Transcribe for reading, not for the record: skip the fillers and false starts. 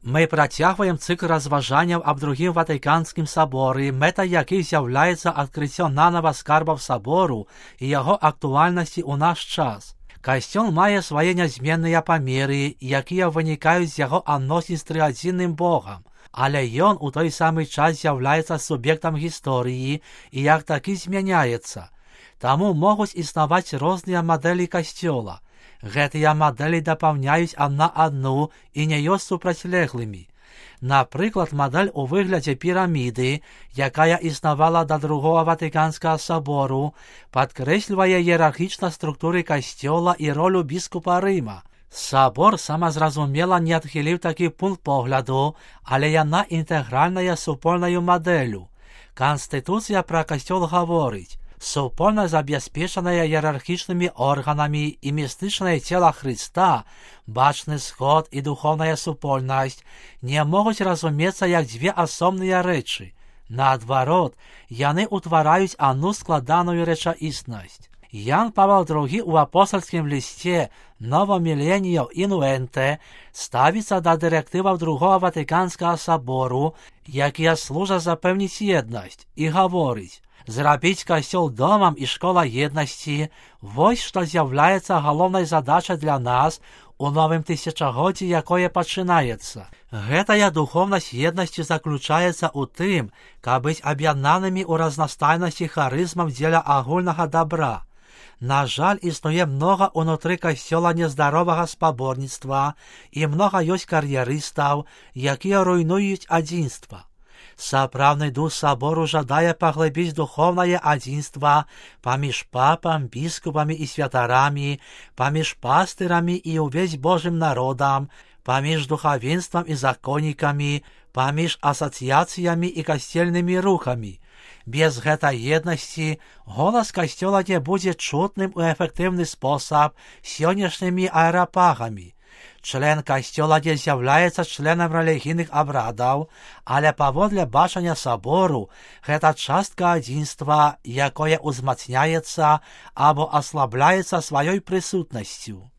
Мы працягваем цыкл разважанняў аб другім Ватыканскім саборы, мэта якіх з'яўляецца адкрыццё нанава скарбаў сабору і яго актуальнасці ў наш час. Касцёл мае свае нязменныя памеры, якія вынікаюць з яго адносін з трыадзінным Богам, але ён у той самы час з'яўляецца суб'ектам гісторыі і як такі змяняецца. Таму могуць існаваць розныя мадэлі касцёла. Гэтыя мадэлі дапаўняюць адна адну і не ёсць супрацьлеглымі. Напрыклад, мадэль у выглядзе піраміды, якая існавала да другога Ватыканскага сабору, падкрэслівае іерархічнасць структуры касцёла і ролю біскупа Рыма. Сабор самазразумела не адхіліў такі пункт погляду, але яна інтэгральная супольнаю мадэлю. Канстытуцыя пра касцёл гаворыць: супольна забяспечаная іерархічнымі органамі і містычнае цела Хрыста, бачны сход і духовная супольнасць не могуць разумецца як дзве асобныя рэчы. Наадварот, яны ўтвараюць адну складаную рэчаіснасць. Ян Павел II у апостольскім лісце «Novo Millennio Innuente» ставіцца да дырэктываў другога Ватыканскага сабору, якія служаць запэўніць еднасць, і гаворыць: зрабіць касцёл домам і школа еднасці – вось што з'яўляецца галоўнай задачай для нас у новым тысячагоддзі, якое пачынаецца. Гэтая духоўнасць еднасці заключаецца ў тым, каб быць аб'яднанымі ў разнастайнасці харызмам дзеля агульнага дабра. На жаль, існуе многа ўнутры касцёла нездаровага спаборніцтва і многа ёсць кар'ерыстаў, якія руйнуюць адзінства. Сапраўдны дух сабору жадае паглыбіць духоўнае адзінства паміж папам, біскупамі і святарамі, паміж пастырамі і ўвесь Божым народам, паміж духавенствам і законнікамі, паміж асацыяцыямі і касцельнымі рухамі. Без гэтай еднасці голас касцёла не будзе чутным у эфектыўны спосаб сённяшнімі аэрапагамі. Член касцёла не з'яўляецца членам рэлігійных абрадаў, але паводле бачання сабору гэта частка адзінства, якое ўзмацняецца або аслабляецца сваёй прысутнасцю.